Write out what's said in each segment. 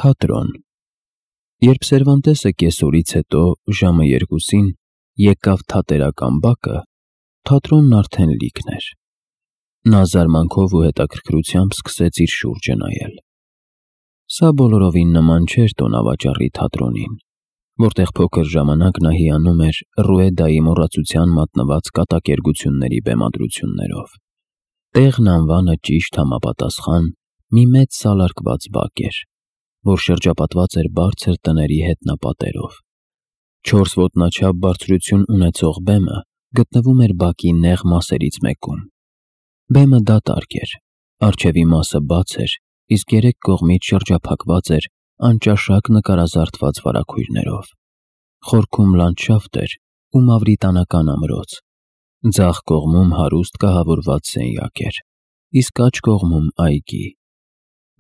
Թատրոն։ Երբ Սերվանտեսը կեսօրից հետո ժամը 2-ին եկավ թատերական բակը, թատրոնն արդեն լիքն էր։ Նա զարմանքով ու հետաքրքրությամբ սկսեց իր շուրջը նայել։ Սա բոլորովին նման չէր տոնավաճառի թատրոնին, որտեղ փոքր ժամանակ նա հիանում էր Ռուեդայի մոռացության մատնված կատակերգությունների բեմադրություններով։ Տեղն անվանը ճիշտ համապատասխան մի մեծ սալարկված բակ էր, որ շրջապատված էր բարձր տների հետնապատերով։ 4 ոտնաչափ բարձրություն ունեցող բեմը գտնվում էր բակի նեղ մասերից մեկում։ Բեմը դատարկ էր, առջևի մասը բաց էր, իսկ 3 կողմից շրջափակված էր անճաշակ նկարազարդված վարագույրներով։ Խորքում լանդշաֆտ էր ու մավրիտանական ամրոց։ Ձախ կողմում հարուստ կահավորված սենյակ էր, իսկ աջ կողմում այգի։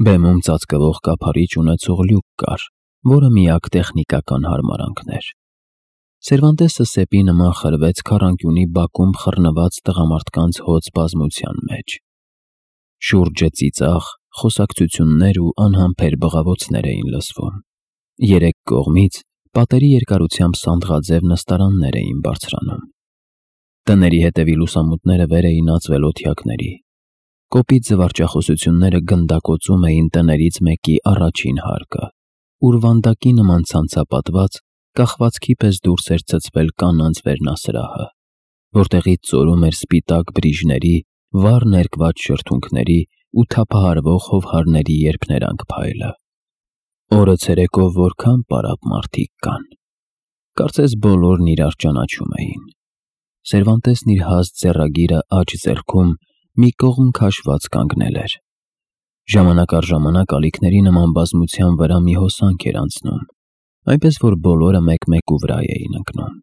Բեմում ծածկվող կափարիչ ունեցող լյուկ կար, որը միակ տեխնիկական հարմարանքն էր։ Սերվանտեսը սեպի նման խրվեց քառանկյունի բակում խռնված տղամարդկանց հոծ բազմության մեջ։ Շուրջը ծիծաղ, խոսակցություններ ու անհամբեր բղավոցներ էին լսվում։ 3 կողմից պատերի երկարությամբ սանդղաձև նստարաններ էին բարձրանում։ Տների հետևի լուսամուտները վեր էին ածվել օթյակների։ Կոպիտ զվարճախոսությունները գնդակոծում էին տներից մեկի առաջին հարկը, ուր վանդակի նման ցանցապատված, կախվածքի պես դուրս էր ցցվել կանանց վերնասրահը, որտեղից ծորում էր սպիտակ բրիժների, վառ ներկված շրթունքների ու թափահարվող հովհարների երփներանգ փայլը։ Օրը ցերեկով որքան պարապ մարդիկ կան։ Կարծես բոլորն իրար ճանաչում էին։ Սերվանտեսն իր հաստ ձեռագիրը աջ ձեռքում մի կողմ քաշված կանգնել էր։ Ժամանակ առ ժամանակ ալիքների նման բազմության վրա մի հոսանք էր անցնում, այնպես որ բոլորը մեկ-մեկու վրա էին ընկնում։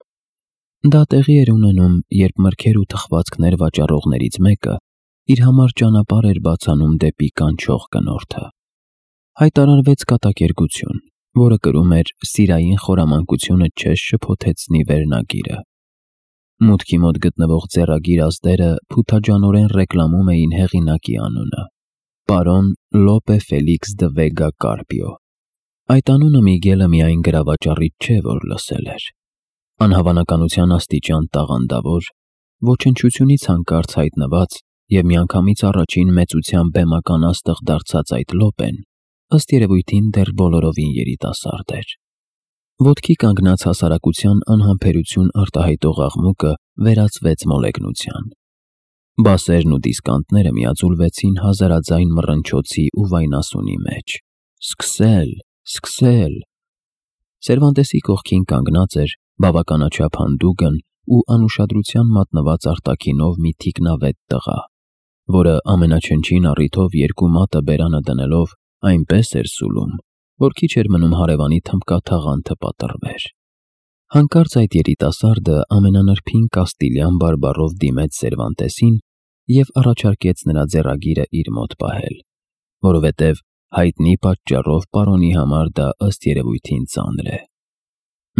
Դա տեղի էր ունենում, երբ մրգեր ու թխվածքներ վաճառողներից մեկը իր համար ճանապարհ էր բացանում դեպի կանչող կնորդը։ Հայտարարվեց կատակերգություն, որը կրում էր «Սիրային խորամանկությունը չես շփոթեցնի» վերնագիրը։ Մուտքի մոտ գտնվող ձեռագիր ազդերը փութաջանորեն ռեկլամում էին հեղինակի անունը՝ պարոն Լոպե Ֆելիքս դը Վեգա Կարպիո։ Այդ անունը Միգելը միայն գրավաճառից չէ, որ լսել էր։ Անհավանականության աստիճան տաղանդավոր, ոչնչությունից հանկարծ հայտնված և միանգամից առաջին մեծության բեմական աստղ դարձած այդ Լոպեն, ըստ երևույթին, դեռ բոլորովին երիտասարդ էր։ Ոտքի կանգնած հասարակության անհամբերություն արտահայտող աղմուկը վերածվեց մոլեգնության։ Բասերն ու դիսկանտները միաձուլվեցին հազարաձայն մռնչոցի ու վայնասունի մեջ։ Սկսել, սկսել։ Սերվանտեսի կողքին կանգնած էր բավականաչափ հանդուգն ու անուշադրության մատնված արտաքինով մի թիկնավետ տղա, որը ամենաչնչին առիթով 2 մատը բերանը դնելով այնպես էր սուլում, որ քիչ էր մնում հարևանի թմբկաթաղանթը պատռվեր։ Հանկարծ այդ երիտասարդը ամենանրբին կաստիլյան բարբառով դիմեց Սերվանտեսին և առաջարկեց նրա ձեռագիրը իր մոտ պահել, որովհետև հայտնի պատճառով պարոնի համար դա ըստ երևույթին ծանր է։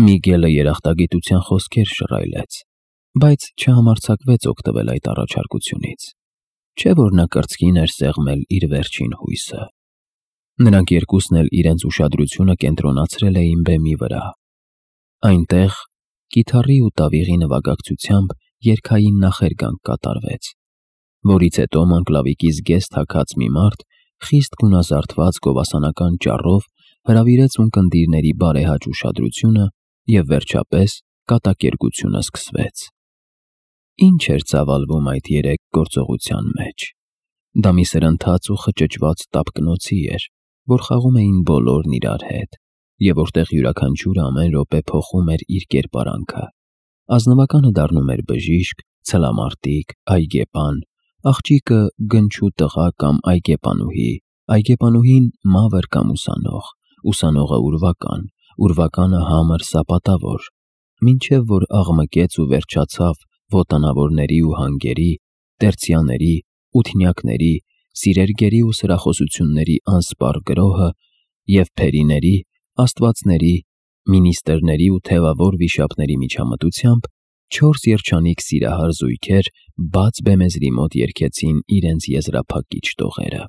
Միգելը երախտագիտության խոսքեր շռայլեց, բայց չհամարձակվեց օգտվել այդ առաջարկությունից։ Չէ՞ որ նա կրծքին էր սեղմել իր վերջին հույսը։ Նրանք երկուսն էլ իրենց ուշադրությունը կենտրոնացրել էին բեմի վրա։ Այնտեղ կիթառի ու տավիղի նվագակցությամբ երգային նախերգանք կատարվեց, որից հետո մանկլավիկի զգեստ հագած մի մարդ խիստ գունազարդված գովասանական ճառով հրավիրեց ունկնդիրների բարեհաճ ուշադրությունը և վերջապես կատակերգությունը սկսվեց։ Ինչ էր ծավալվում այդ 3 գործողության մեջ։ Դա մի սրընթաց ու խճճված տապկնոցի էր, որ խաղում էին բոլորն իրար հետ, և որտեղ յուրաքանչյուրը ամեն րոպե փոխում էր իր կերպարանքը։ Ազնվականը դառնում էր բժիշկ, ցլամարտիկ, այգեպան, աղջիկը գնչու տղա կամ այգեպանուհի, այգեպանուհին մավր կամ ուսանող, ուսանողը ուրվական, ուրվականը համր սապատավոր, մինչև որ աղմկեց ու վերջացավ ոտանավորների ու հանգերի, տերցիաների, ութնյակների, սիրերգերի ու սրախոսությունների անսպառ գրոհը և փերիների, աստվածների, մինիստրների ու թևավոր վիշապների միջամտությամբ 4 երջանիկ սիրահար զույգեր բաց բեմեզրի մոտ երգեցին իրենց եզրափակիչ տողերը։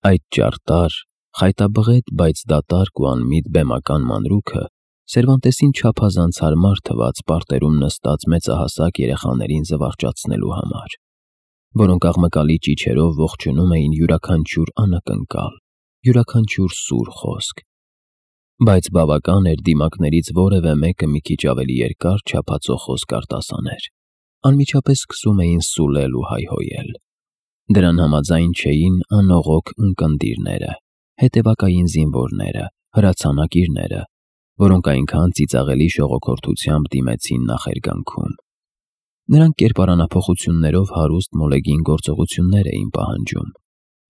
Այդ ճարտար, Խայտաբղետ, բայց դատարկ ու անմիտ բեմական մանրուքը Սերվանտեսին չափազանց հարմար թվաց պարտերում նստած մեծահասակ երեխաներին զվարճացնելու համար, որոնք աղմկալի ճիչերով ողջունում էին յուրաքանչյուր անակնկալ, յուրաքանչյուր սուր խոսք։ Բայց բավական էր դիմակներից որևէ մեկը մի քիչ ավելի երկար չափածո խոսք արտասաներ, անմիջապես սկսում էին սուլել ու հայհոյել։ Դրան համաձայն չէին անողոք ունկնդիրները, հետևակային զինվորները, հրացանակիրները, որոնք այնքան ծիծաղելի շողոքորթությամբ դիմեցին նախերգանքում։ Նրանք կերպարանափոխություններով հարուստ մոլեգին գործողություններ էին պահանջում,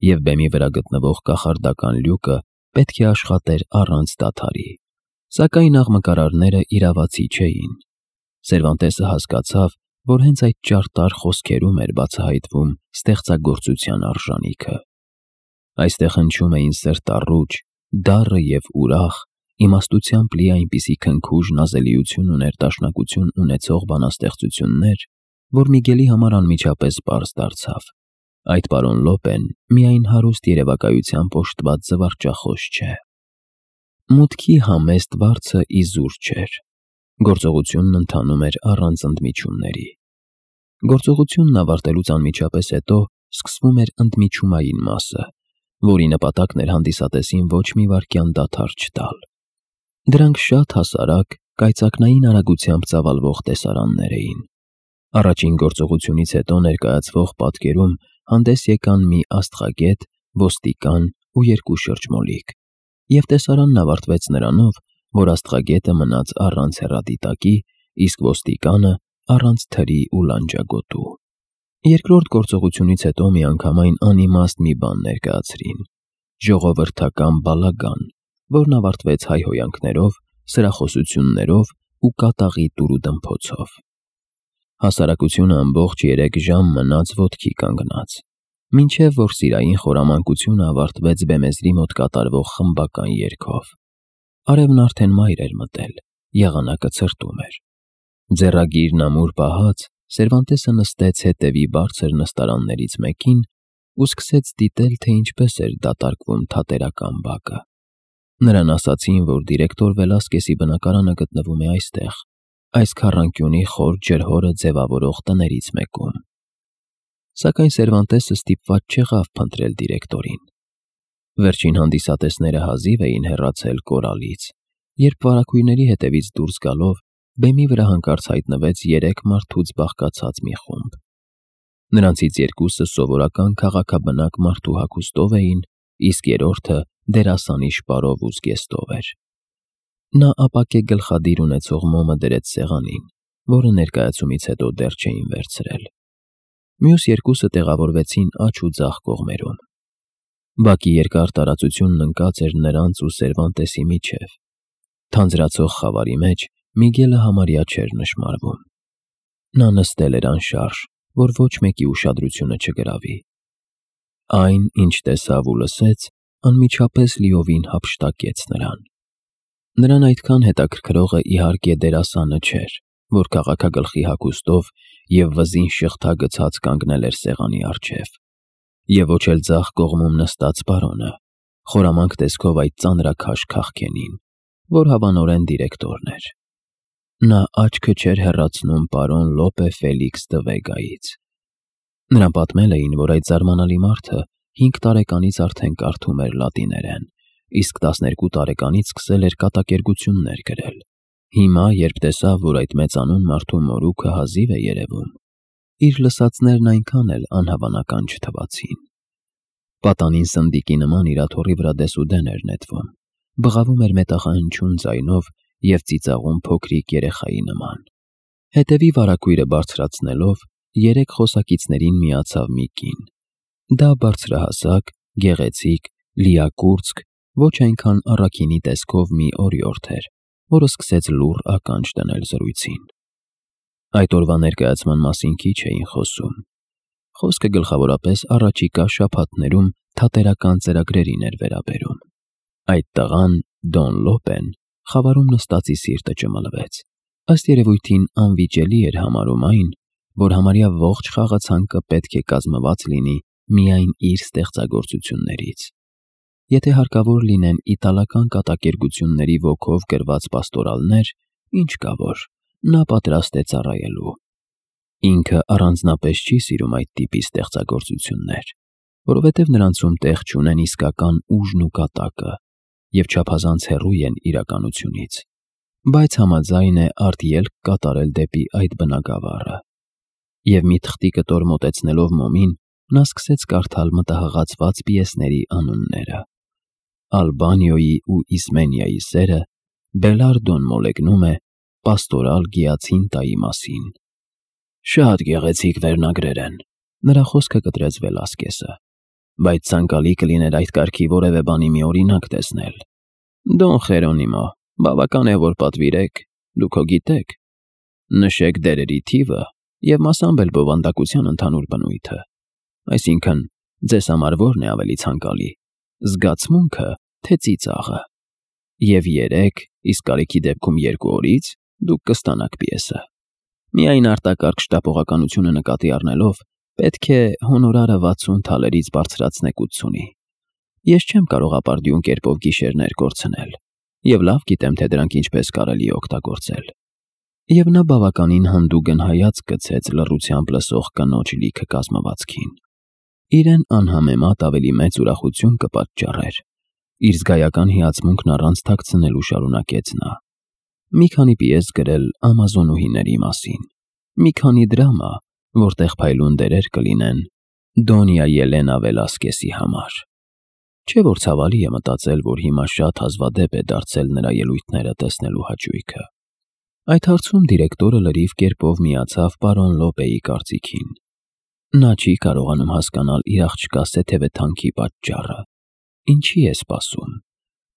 և բեմի վրա գտնվող կախարդական լյուկը պետք է աշխատեր առանց դադարի, սակայն աղմկարարները իրավացի չէին։ Սերվանտեսը հասկացավ, որ հենց այդ ճարտար խոսքերում էր բացահայտվում ստեղծագործության արժանիքը։ Այստեղ հնչում էին սրտառուչ, դառը և ուրախ, իմաստությամբ լի այնպիսի քնքուշ նազելիություն ու ներդաշնակություն ունեցող բանաստեղծություններ, որ Միգելի համար անմիջապես պարզ դարձավ. այդ պարոն Լոպեն միայն հարուստ երևակայությամբ օժտված զվարճախոս չէ։ Մուտքի համեստ վարձը իզուր չէր։ Գործողությունն ընթանում էր առանց ընդմիջումների։ Գործողությունն ավարտելուց անմիջապես հետո սկսվում էր ընդմիջումային մասը, որի նպատակն էր հանդիսատեսին ոչ մի վայրկյան դադար չտալ։ Դրանք շատ հասարակ, կայծակնային արագությամբ ծավալվող տեսարաններ էին։ Առաջին գործողությունից հետո ներկայացվող պատկերում հանդես եկան մի աստղագետ, ոստիկան ու երկու շրջմոլիկ, և տեսարանն ավարտվեց նրանով, որ աստղագետը մնաց առանց հեռադիտակի, իսկ ոստիկանը առանց թրի ու լանջագոտու։ Երկրորդ գործողությունից հետո միանգամայն անիմաստ մի բան ներկայացրին՝ ժողովրդական բալագան, որն ավարտվեց հայհոյանքներով, սրախոսություններով ու կատաղի տուրուդմփոցով։ Հասարակությունը ամբողջ 3 ժամ մնաց ոտքի կանգնած, մինչև որ սիրային խորամանկությունը ավարտվեց բեմեզրի մոտ կատարվող խմբական երգով։ Արևն արդեն մայր էր մտել, եղանակը ցրտում էր։ Ձեռագիրն ամուր պահած, Սերվանտեսը նստեց հետևի բարձր նստարաններից մեկին ու սկսեց դիտել, թե ինչպես էր դատարկվում թատերական բակը։ Նրան ասացին, որ դիրեկտոր Վելասկեսի բնակարանը գտնվում է այստեղ, այս քառանկյունի խոր ջրհորը ձևավորող տներից մեկում։ Սակայն Սերվանտեսը ստիպված չեղավ փնտրել դիրեկտորին։ Վերջին հանդիսատեսները հազիվ էին հեռացել կորալից, երբ վարագույրների հետևից դուրս գալով բեմի վրա հանկարծ հայտնվեց 3 մարդուց բաղկացած մի խումբ։ Նրանցից 2-ը սովորական քաղաքաբնակ մարդու հագուստով էին, իսկ երրորդը դերասանի շպարով ու զգեստով էր։ Նա ապակե գլխադիր ունեցող մոմը դրեց սեղանին, որը ներկայացումից հետո դեռ չէին վերցրել։ Մյուս 2-ը տեղավորվեցին աջ ու ձախ կողմերում։ Բակի երկար տարածությունն ընկած էր նրանց ու Սերվանտեսի միջև։ Թանձրացող խավարի մեջ Միգելը համարյա չէր նշմարվում։ Նա նստել էր անշարժ, որ ոչ մեկի ուշադրությունը չգրավի։ Այն, ինչ տեսավ ու լսեց, անմիջապես լիովին հափշտակեց նրան։ Նրան այդքան հետաքրքրողը իհարկե դերասանը չէր, որ քաղաքագլխի հագուստով և վզին շղթա գցած կանգնել էր սեղանի առջև, և ոչ էլ ձախ կողմում նստած պարոնը, խորամանկ տեսքով այդ ծանրաքաշ քաղքենին, որ հավանորեն դիրեկտորն էր։ Նա աչքը չէր հեռացնում պարոն Լոպե Ֆելիքս դը Վեգայից։ Նրան պատմել էին, որ այդ զարմանալի մարդը 5 տարեկանից արդեն կարդում էր լատիներեն, իսկ 12 տարեկանից սկսել էր կատակերգություններ գրել։ Հիմա, երբ տեսավ, որ այդ մեծանուն մարդու մորուքը հազիվ է երևում, իր լսածներն այնքան էլ անհավանական չթվացին։ Պատանին սնդիկի նման իր աթոռի վրա դեսուդեն էր նետվում, բղավում էր մետաղահնչյուն ձայնով և ծիծաղում փոքրիկ երեխայի նման։ Հետևի վարագույրը բարձրացնելով 3 խոսակիցներին միացավ մի կին։ Դա բարձրահասակ, գեղեցիկ, լիակուրծք, ոչ այնքան առաքինի տեսքով մի օրիորդ էր, որը սկսեց լուռ ականջ դնել զրույցին։ Այդ օրվա ներկայացման մասին քիչ էին խոսում։ Խոսքը գլխավորապես առաջիկա շաբաթներում թատերական ծրագրերին էր վերաբերում։ Այդ տղան, Դոն Լոպեն, խավարում նստածի սիրտը ճմլվեց։ Ըստ երևույթին անվիճելի էր համարում այն, որ համարյա ողջ խաղացանկը պետք է կազմված լինի միայն իր ստեղծագործություններից։ եթե հարկավոր լինեն իտալական կատակերգությունների ոգով գրված պաստորալներ, ինչ կա որ, նա պատրաստ է ծառայելու։ Ինքը առանձնապես չի սիրում այդ տիպի ստեղծագործություններ, որովհետև նրանցում տեղ չունեն իսկական ուժն ու կատակը և չափազանց հեռու են իրականությունից, բայց համաձայն է արտելք կատարել դեպի այդ բնագավառը։ Եվ մի թղթի կտոր մոտեցնելով մոմին, նա սկսեց կարդալ մտահղացված պիեսների անունները։ Ալբանիոյի ու Իսմենիայի սերը Բելարդոն մոլեգնում է պաստորալ գիացինտայի մասին։ Շատ գեղեցիկ վերնագրեր են, նրա խոսքը կտրեց Վելասկեսը, բայց ցանկալի կլիներ այդ կարգի որևէ բանի մի օրինակ տեսնել։ Դոն Խերոնիմո, բավական է, որ պատվիրեք, դուք հո գիտեք, նշեք դերերի թիվը և մասամբ էլ բովանդակության ընդհանուր բնույթը, այսինքն ձեզ համար որն է ավելի ցանկալի, զգացմունքը, թե ծիծաղը, և 3, իսկ կարիքի դեպքում 2 օրից դուք կստանաք պիեսը։ Միայն արտակարգ շտապողականությունը նկատի առնելով, պետք է հոնորարը 60 թալերից բարձրացնեք 80-ի։ Ես չեմ կարող ապարդյուն կերպով գիշերներ կորցնել, և լավ գիտեմ, թե դրանք ինչպես կարելի է օգտագործել։ Եվ նա բավականին հանդուգն հայացք գցեց լռությամբ լսող կնոջ լիքը կազմվածքին։ Իրեն անհամեմատ ավելի մեծ ուրախություն կպատճառեր։ Իր զգայական հիացմունքն առանց թաքցնելու շարունակեց նա։ Մի քանի պիես գրել ամազոնուհիների մասին, մի քանի դրամա, որտեղ փայլուն դերեր կլինեն Դոնյա Ելենա Վելասկեսի համար։ Չէ՞ որ ցավալի է մտածել, որ հիմա շատ հազվադեպ է դարձել նրա ելույթները տեսնելու հաճույքը։ Այդ հարցում դիրեկտորը լրիվ կերպով միացավ պարոն Լոպեի կարծիքին։ Նա չի կարողանում հասկանալ իր աղջկա սեթևեթանքի պատճառը։ Ինչի է սպասում։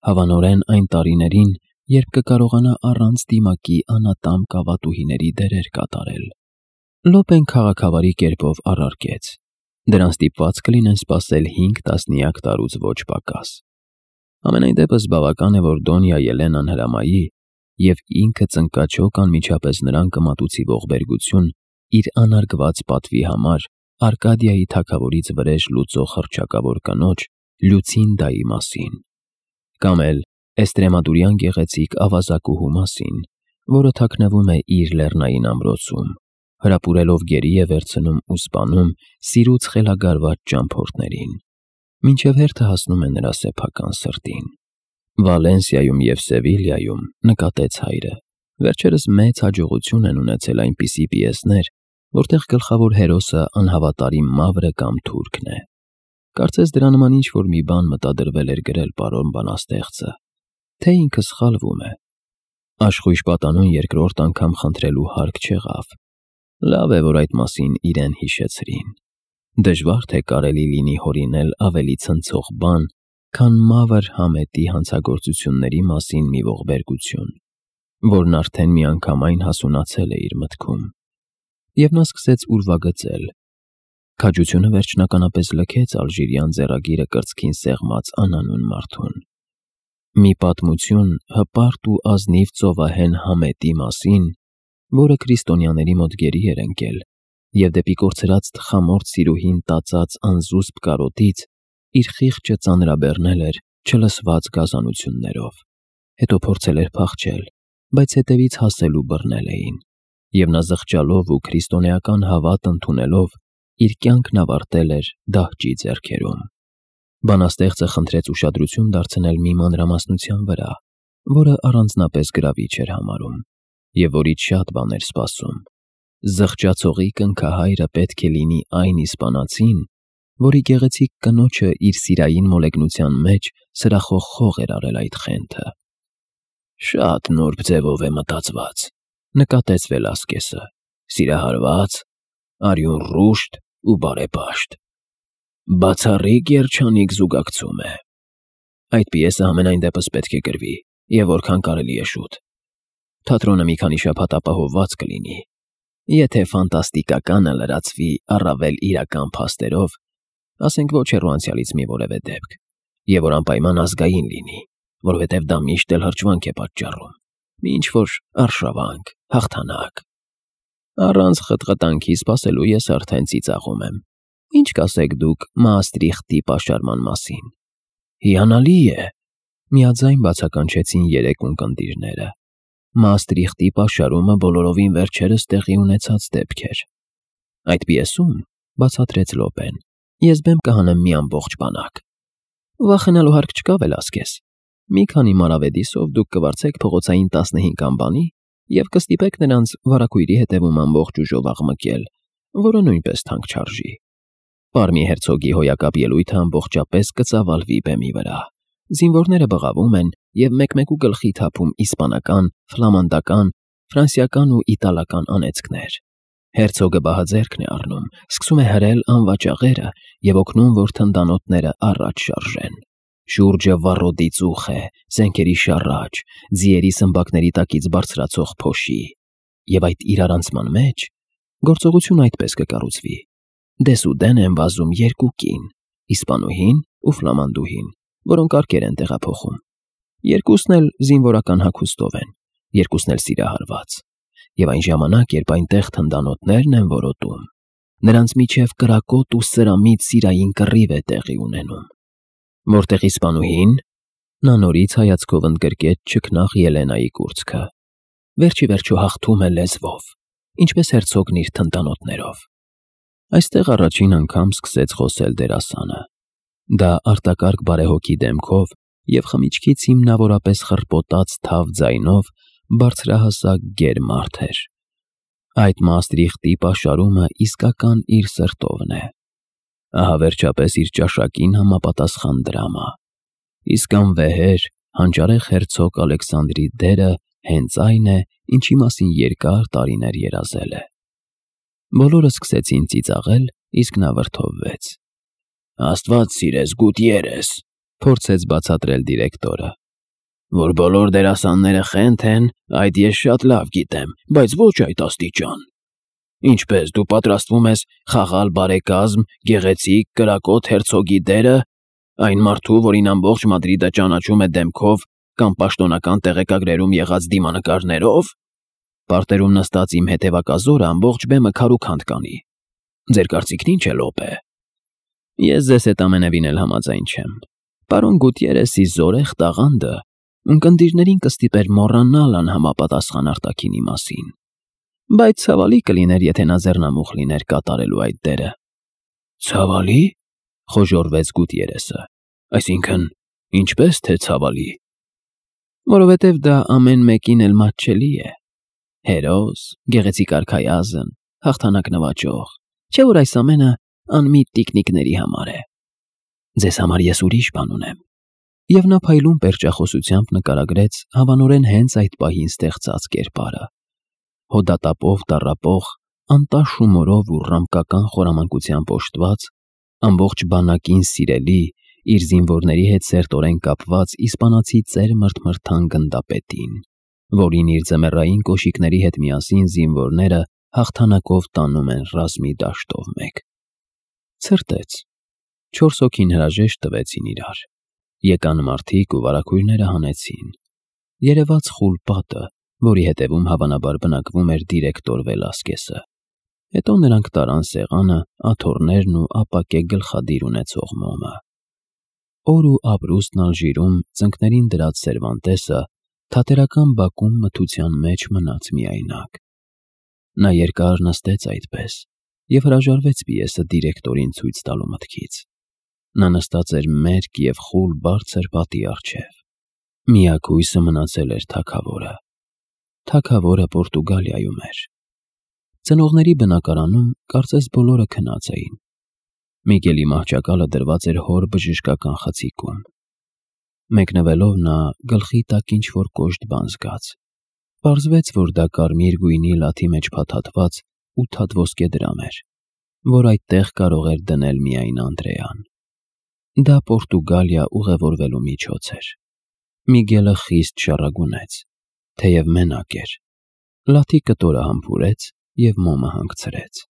Հավանորեն այն տարիներին, երբ կկարողանա առանց դիմակի անատամ կավատուհիների դերեր կատարել։ Լոպեն քաղաքավարի կերպով առարկեց. դրանց ստիպված կլինեն սպասել 5 տասնյակ տարուց ոչ պակաս։ Ամենայն դեպս բավական է, որ Դոնյա Ելենան հրամայի, և ինքը ծնկաչոք անմիջապես նրան կմատուցի ողբերգություն իր անարգված պատվի համար Արկադիայի թագավորից վրեժ լուծող հռչակավոր կնոջ Լյուցինդայի մասին, կամ էլ Էստրեմադուրյան գեղեցիկ ավազակուհու մասին, որը թաքնվում է իր լեռնային ամրոցում, հրապուրելով գերի է վերցնում ու սպանում սիրուց խելագարված ճամփորդներին, մինչև հերթը հասնում է նրա սեփական սրտին։ Վալենսիայում և Սևիլիայում, նկատեց հայրը, վերջերս մեծ հաջողություն են ունեցել այնպիսի պիեսներ, որտեղ գլխավոր հերոսը անհավատարիմ մավրը կամ թուրքն է։ Կարծես դրա նման ինչ-որ մի բան մտադրվել էր գրել պարոն բանաստեղծը, թե ինքը սխալվում է։ Աշխույժ պատանուն երկրորդ անգամ խնդրելու հարկ չեղավ։ Լավ է, որ այդ մասին իրեն հիշեցրին։ Դժվար թե կարելի լինի հորինել ավելի ցնցող բան, քան մավր Համետի հանցագործությունների մասին մի ողբերգություն, որն արդեն միանգամայն հասունացել է իր մտքում։ Եվ նա սկսեց ուրվագծել։ Քաջությունը վերջնականապես լքեց ալժիրյան ձեռագիրը կրծքին սեղմած անանուն մարդուն։ Մի պատմություն հպարտ ու ազնիվ ծովահեն Համետի մասին, որը քրիստոնյաների մոտ գերի էր ընկել, և դեպի կորցրած թխամորթ սիրուհին տածած անզուսպ կարոտից իր խիղճը ծանրաբեռնել էր չլսված գազանություններով, հետո փորձել էր փախչել, բայց հետևից հասել ու բռնել էին, և նա զղջալով ու քրիստոնեական հավատ ընդունելով իր կյանքն ավարտել էր դահճի ձեռքերում։ Բանաստեղծը խնդրեց ուշադրություն դարձնել մի մանրամասնության վրա, որը առանձնապես գրավիչ էր համարում, և որից շատ բան էր սպասում։ Զղջացողի կնքահայրը պետք է լինի այն իսպանացին, որի գեղեցիկ կնոջը իր սիրային մոլեգնության մեջ սրախոխող էր արել այդ խենթը։ Շատ նուրբ ձևով է մտածված, նկատեց Վելասկեսը, սիրահարված, արյուն ռուշտ ու բարեպաշտ։ Բացառիկ երջանիկ զուգակցում է։ Այդ պիեսը համենայն դեպս պետք է գրվի, և որքան կարելի է շուտ։ Թատրոնը մի քանի շաբաթ ապահովված կլինի։ Եթե ֆանտաստիկականը լրացվի առավել իրական փաստերով, ասենք ոչ հեռու անցյալից մի որևէ դեպք, և որ անպայման ազգային լինի, որովհետև դա միշտ էլ հրճվանք է պատճառում, մի ինչ-որ արշավանք, հաղթանակ։ Առանց խտխտանքի սպասելու ես արդեն ծիծաղում եմ։ Ինչ կասեք դուք Մաստրիխտի պաշարման մասին։ Հիանալի է, միաձայն բացականչեցին երեք ունկնդիրները։ Մաստրիխտի պաշարումը բոլորովին վերջերս տեղի ունեցած դեպք էր։ Այդ պիեսում, բացատրեց Լոպեն, ես բեմ կհանեմ մի ամբողջ բանակ։ Վախենալու հարկ չկա, Վելասկես։ Մի քանի մանավեդիսով դուք կվարձեք փողոցային 15 անբանի և կստիպեք նրանց վարագույրի հետևում ամբողջ ուժով աղմկել, որը նույնպես թանկ չարժի։ Պարմի հերցոգի հոյակապ ելույթը ամբողջապես կծավալվի բեմի վրա։ Զինվորները բղավում են և մեկ-մեկու գլխի թափում իսպանական, ֆլամանդական, ֆրանսիական ու իտալական անեծքներ։ Հերցոգը բահաձեռքն է առնում, սկսում է հրել անվաճաղերը և օգնում, որ թնդանոթները առաջ շարժեն։ Շուրջը վառոդի ծուխ է, զենքերի շառաչ, ձիերի սմբակների տակից բարձրացող փոշի։ Եվ այդ իրարանցման մեջ գործողությունը այդպես կկառուցվի. դեսուդեն են վազում երկու կին, իսպանուհին ու ֆլամանդուհին, որոնք արկեր են տեղափոխում։ Երկուսն էլ զինվորական հագուստով են, երկուսն էլ սիրահարված։ Եվ այն ժամանակ, երբ այնտեղ թնդանոթներն են որոտում, նրանց միջև կրակոտ ու սրամիտ սիրային կռիվ է տեղի ունենում։ Որտեղ իսպանուհին, նա նորից հայացքով ընդգրկեց չքնաղ Ելենայի կուրծքը, վերջիվերջո հաղթում է լեզվով, ինչպես հերցոգն իր թնդանոթներով։ Այստեղ առաջին անգամ սկսեց խոսել դերասանը։ Դա արտակարգ բարեհոգի դեմքով և խմիչքից հիմնավորապես խռպոտած թավ ձայնով բարձրահասակ գեր մարդ էր։ Այդ Մաստրիխտի պաշարումը իսկական իր սրտովն է։ Ահա վերջապես իր ճաշակին համապատասխան դրամա։ Իսկ անվեհեր, հանճարեղ հերցոգ Ալեքսանդրի դերը հենց այն է, ինչի մասին երկար տարիներ երազել է։ Բոլորը սկսեցին ծիծաղել, իսկ նա վրդովվեց։ Աստված սիրես, Գուտիերես, փորձեց բացատրել դիրեկտորը։ Որ բոլոր դերասանները խենթ են, այդ ես շատ լավ գիտեմ, բայց ոչ այդ աստիճան։ Ինչպես դու պատրաստվում ես խաղալ բարեկազմ, գեղեցիկ, կրակոտ հերցոգի դերը, այն մարդու, որին ամբողջ Մադրիդը ճանաչում է դեմքով կամ պաշտոնական տեղեկագրերում եղած դիմանկարներով։ Պարտերում նստած իմ հետևակազորը ամբողջ բեմը քարուքանդ կանի։ Ձեր կարծիքն ինչ է, Լոպե։ Ես ձեզ հետ ամենևին էլ համաձայն չեմ։ Պարոն Գուտիերեսի զորեղ տաղանդը ունկնդիրներին կստիպեր մոռանալ անհամապատասխան արտաքինի մասին։ Բայց ցավալի կլիներ, եթե նա ձեռնամուխ լիներ կատարելու այդ դերը։ Ցավալի, խոժոռվեց Գուտիերեսը։ Այսինքն, ինչպես թե ցավալի։ Որովհետև դա ամեն մեկին էլ մատչելի է։ Հերոս, գեղեցիկ արքայազն, հաղթանակ նվաճող, չէ՞ որ այս ամենը անմիտ տիկնիկների համար է։ Ձեզ համար ես ուրիշ բան ունեմ։ Եվ նա փայլուն պերճախոսությամբ նկարագրեց հավանորեն հենց այդ պահին ստեղծած կերպարը։ Հոդատապով տառապող, անտաշ հումորով ու ռամկական խորամանկությամբ օժտված, ամբողջ բանակին սիրելի, իր զինվորների հետ սերտորեն կապված իսպանացի ծեր մրթմրթան գնդապետին, որին իր ձմեռային կոշիկների հետ միասին զինվորները հաղթանակով տանում են ռազմի դաշտով մեկ։ Ցրտեց։ 4 հոգին հրաժեշտ տվեցին իրար։ Եկան մարդիկ ու վարագույրները հանեցին։ Երևաց խուլ պատը, որի հետևում հավանաբար բնակվում էր դիրեկտոր Վելասկեսը։ Հետո նրանք տարան սեղանը, աթոռներն ու ապակե գլխադիր ունեցող մոմը։ Օր ու ապրուստն Ալժիրում ծնկներին դրած Սերվանտեսը թատերական բակում մթության մեջ մնաց միայնակ։ Նա երկար նստեց այդպես և հրաժարվեց պիեսը դիրեկտորին ցույց տալու մտքից։ Նա նստած էր մերկ և խուլ բարձր պատի առջև։ Միակ հույսը մնացել էր թագավորը։ Թագավորը Պորտուգալիայում էր։ Ծնողների բնակարանում կարծես բոլորը քնած էին։ Միգելի մահճակալը դրված էր հոր բժշկական խցիկում։ Մեկնվելով նա գլխի տակ ինչ-որ կոշտ բան զգաց։ Պարզվեց, որ դա կարմիր գույնի լաթի մեջ փաթաթված 8 հատ ոսկե դրամ էր, որ այդտեղ կարող էր դնել միայն Անդրեան։ Դա Պորտուգալիա ուղևորվելու միջոց էր։ Միգելը խիստ շառագունեց, թեև մենակ էր։ Լաթի կտորը համբուրեց և մոմը հանգցրեց։